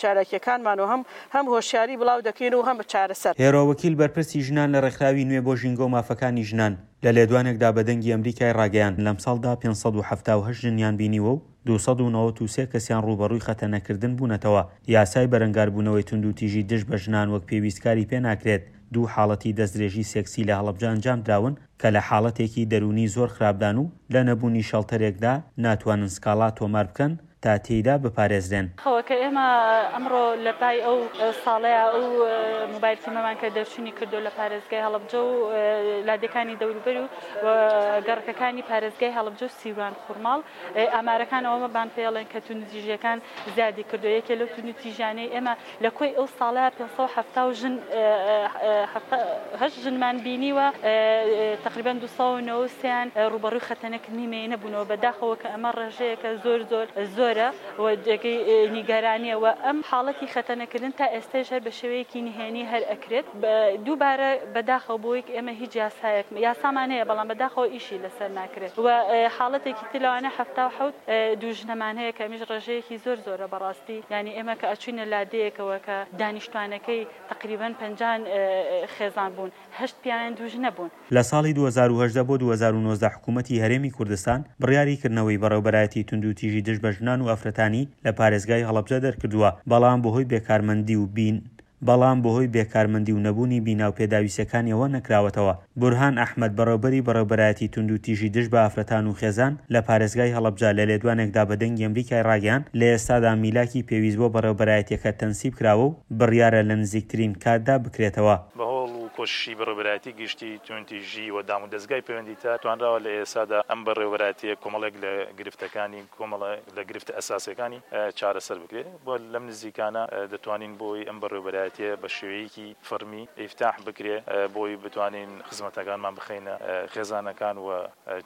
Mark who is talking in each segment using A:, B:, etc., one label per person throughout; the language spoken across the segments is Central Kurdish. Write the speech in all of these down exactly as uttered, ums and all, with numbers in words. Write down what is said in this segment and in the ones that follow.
A: چالاکیەکانمان و هەم هەم هۆشیاری بڵاو دەکەین و هەم چارەسەر.
B: هێرۆ وەکیل بەرپرسی ژنان لە ڕێکخراوی نوێ بۆ ژینگە و مافەکانی ژنان لە لێدوانێکدا بە دەنگی ئەمریکای ڕاگەیاند لەمساڵدا پێنج سەد و حەفتا و هەشت ژنیان بینیوە و دوو سەد و نەوەد و سێ کەسیان ڕووبەڕووی خەتەنەکردن بوونەتەوە. یاسای بەرەنگاربوونەوەی توندوتیژی دژ بە ژنان وەک پێویست کاری پێناکرێت. دوو حاڵەتی دەستدرێژی سێکسی لە هەڵەبجە ئەنجامدراون کە لە حاڵەتێکی دەروونی زۆر خراپدان و لە نەبوونی شەڵتەرێکدا ناتوانن سکاڵا تۆمار بکەن تا تێیدا بپارێزرێن.
C: خەوە کە ئێمە ئەمڕۆ لە پای ئەو ساڵەیا ئەو موبایل تیمەمان کە دەرچوونی کردو لە پارێزگای هەڵەبجە و لادێکانی دەوروبەر و گەڕەکەکانی پارێزگای هەڵەبجە و سیروان خورماڵ، ئامارەکان ئەوەمان پێڵێن کە توندوتیژیەکان زیادی کردو. یەکێ لەو توندوتیژیانەی ئێمە لە کۆی ئەو ساڵەیا پێنج سەد و حەفتا و ژن هەشت ژنمان بینیوە، تقریبا دوو سەد و نەوەد و سێیان ڕووبەڕووی خەتەنەکردنی مێینە بوونەوە. بەداخەوە کە ئەمە ڕێژەیەکە زۆر زۆر زۆرە و جێگەی نیگەرانیە و ئەم حاڵەتی خەتەنەکردن تا ئێستاش هەر بە شێوەیەکی نهێنی هەر ئەکرێت. دووبارە بەداخەوە بۆی ئێمە هیچ یاسایەک یاسامان هەیە بەڵام بەداخەوە ئیشی لەسەر ناکرێت و حاڵەتێکی تر لەوانە حەفتا و حەوت دوو ژنەمان هەیە کە ئەمیش ڕێژەیەکی زۆر زۆرە بەڕاستی. یعنی ئێمە کە ئەچوینە لادەیەکەوە کە دانیشتوانەکەی تقریبا پەنجان خێزان بوون، هەشت پیاوان دوو ژنە بوون.
B: لە ساڵی دوو هەزار و هەژدە بۆ دوو هەزار و نۆزدە حکوومەتی هەرێمی کوردستان بڕیاری کردنەوەی بەڕێوبەرایەتی توندوتیژی دژ بە ژنان و ئافرەتانی لە پارێزگای هەڵەبجە دەرکردووە، بەڵام بەهۆی بێکارمەندی و بین بەڵام بەهۆی بێکارمەندی و نەبوونی بینا و پێداویستیەکانیەوە نەکراوەتەوە. بورهان ئەحمەد بەڕێوبەری بەڕێوبەرایەتی توندوتیژی دژ بە ئافرەتان و خێزان لە پارێزگای هەڵەبجە لە لێدوانێکدا بە دەنگی ئەمریکای ڕاگەیاند لە ئێستادا میلاکی پێویست بۆ بەڕێوبەرایەتیەکە تەنسیب کراوە و بڕیارە لە نزیکترین کاتدا بکرێتەوە.
D: بە هەوڵ و کۆششی بەڕێوبەرایەتی گشتی توندوتیژی و دام و دەزگای پەیوەندیدار توانراوە لە ئێستادا ئەم بەڕێوبەرایەتیە کۆمەڵێک لە گرفتەکانی کۆمەڵێک لە گرفتە ئەساسیەکانی چارەسەر بکرێت. بۆ لەم نزیکانە دەتوانین بۆی ئەم بەڕێوبەرایەتیە بە شێوەیەکی فەرمی ئیفتاح بکرێ بۆی بتوانین خزمەتەکانمان بخەینە خێزانەکان و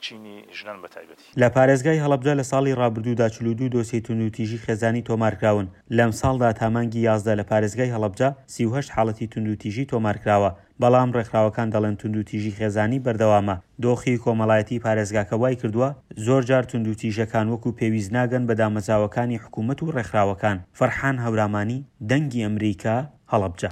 D: چینی ژنان بە تایبەتی.
B: لە پارێزگای هەڵەبجە لە ساڵی ڕابردوودا چل و دوو دۆسیەی توندوتیژی خێزانی تۆمارکراون. لەم ساڵدا تا مانگی یازدە لە پارێزگای هەڵەبجە سی و هەشت حاڵەتی توندوتیژی تۆمارکراوە، بەڵام ڕێکخراوەکان دەڵێن توندوتیژی خێزانی بەردەوامە. دۆخی کۆمەڵایەتی پارێزگاکە وای کردووە زۆرجار توندوتیژەکان وەکو پێویست ناگەن بە دامەزراوەکانی حکوومەت و ڕێکخراوەکان. فەرحان هەورامانی، دەنگی ئەمریکا، هەڵەبجە.